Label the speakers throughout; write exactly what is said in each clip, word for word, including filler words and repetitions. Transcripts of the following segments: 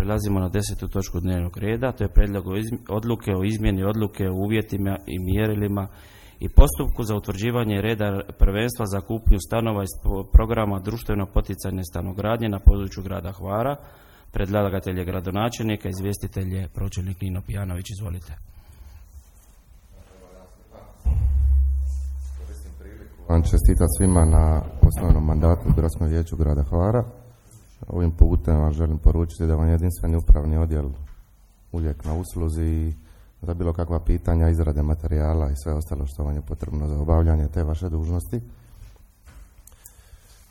Speaker 1: Prelazimo na desetu točku dnevnog reda, to je prijedlog odluke o izmjeni odluke o uvjetima i mjerilima i postupku za utvrđivanje reda prvenstva za kupnju stanova iz programa društveno poticajne stanogradnje na području grada Hvara. Predlagatelj je gradonačelnik, a izvjestitelj je pročelnik Nino Pijanović. Izvolite.
Speaker 2: Vam čestitam svima na osnovnom mandatu u Gradskom vijeću grada Hvara. Ovim putem vam želim poručiti da vam je jedinstveni upravni odjel uvijek na usluzi i za bilo kakva pitanja, izrade materijala i sve ostalo što vam je potrebno za obavljanje te vaše dužnosti.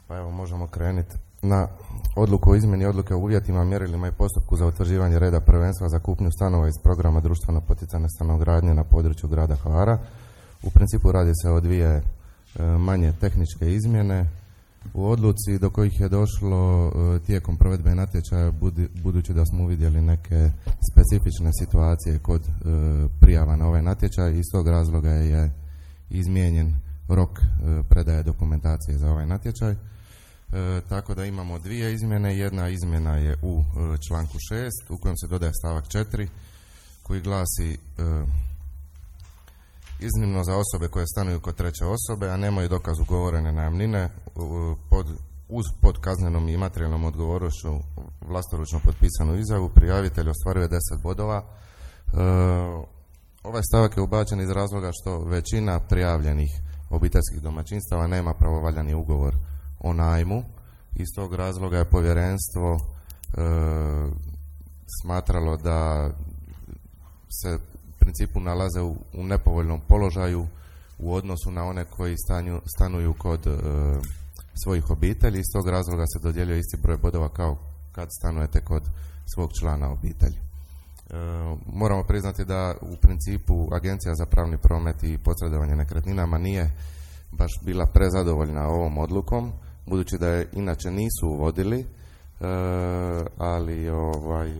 Speaker 2: Pa evo, možemo krenuti na odluku o izmjeni odluke o uvjetima, mjerilima i postupku za utvrđivanje reda prvenstva za kupnju stanova iz programa društveno poticajne stanogradnje na području grada Hvara. U principu radi se o dvije manje tehničke izmjene u odluci do kojih je došlo tijekom provedbe natječaja, budući da smo uvidjeli neke specifične situacije kod prijava na ovaj natječaj. Iz tog razloga je izmijenjen rok predaje dokumentacije za ovaj natječaj. E, tako da imamo dvije izmjene. Jedna izmjena je u e, članku šest u kojem se dodaje stavak četiri koji glasi e, iznimno za osobe koje stanuju kod treće osobe, a nemaju dokaz ugovorene najamnine, pod, uz pod kaznenom i materijalnom odgovornošću vlastoručno potpisanu izjavu, prijavitelj ostvaruje deset bodova. E, ovaj stavak je ubačen iz razloga što većina prijavljenih obiteljskih domaćinstava nema pravovaljani ugovor o najmu. Iz tog razloga je povjerenstvo e, smatralo da se principu nalaze u, u nepovoljnom položaju u odnosu na one koji stanju, stanuju kod e, svojih obitelji. Iz tog razloga se dodjeljuje isti broj bodova kao kad stanujete kod svog člana obitelji. E, moramo priznati da u principu Agencija za pravni promet i posredovanje nekretninama nije baš bila prezadovoljna ovom odlukom, budući da je inače nisu uvodili, E, ali ovaj,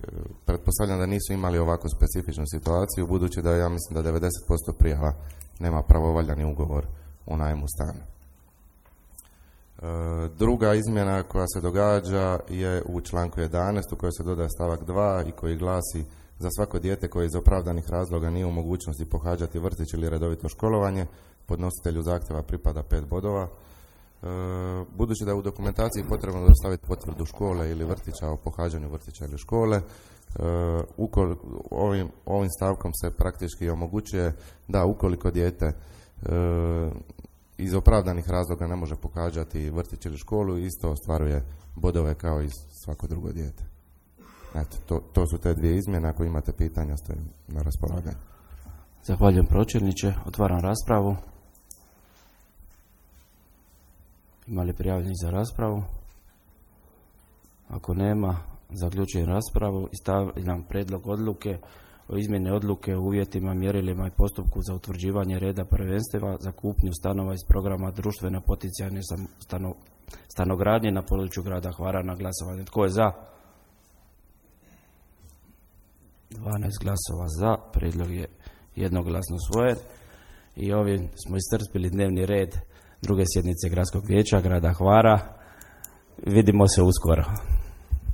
Speaker 2: pretpostavljam da nisu imali ovako specifičnu situaciju, budući da ja mislim da devedeset posto prijava nema pravovaljani ugovor o najmu stana. E, druga izmjena koja se događa je u članku jedanaest u kojoj se dodaje stavak dva i koji glasi: za svako dijete koje iz opravdanih razloga nije u mogućnosti pohađati vrtić ili redovito školovanje, podnositelju zahtjeva pripada pet bodova. Budući da je u dokumentaciji potrebno dostaviti potvrdu škole ili vrtića o pohađanju vrtića ili škole, ovim, ovim stavkom se praktički omogućuje da ukoliko dijete iz opravdanih razloga ne može pohađati vrtić ili školu, isto ostvaruje bodove kao i svako drugo dijete. Eto, to, to su te dvije izmjene. Ako imate pitanja, stojim na raspolaganju.
Speaker 1: Zahvaljujem pročelniče. Otvaram raspravu. Ima li prijavljenih za raspravu? Ako nema, zaključujem raspravu i stavljam prijedlog odluke o izmjeni odluke o uvjetima, mjerilima i postupku za utvrđivanje reda prvenstva za kupnju stanova iz programa društveno poticajne stano, stanogradnje na području grada Hvara na glasovanje. Tko je za? dvanaest glasova za. Prijedlog je jednoglasno usvojen i ovim smo iscrpili dnevni red druge sjednice Gradskog vijeća grada Hvara. Vidimo se uskoro.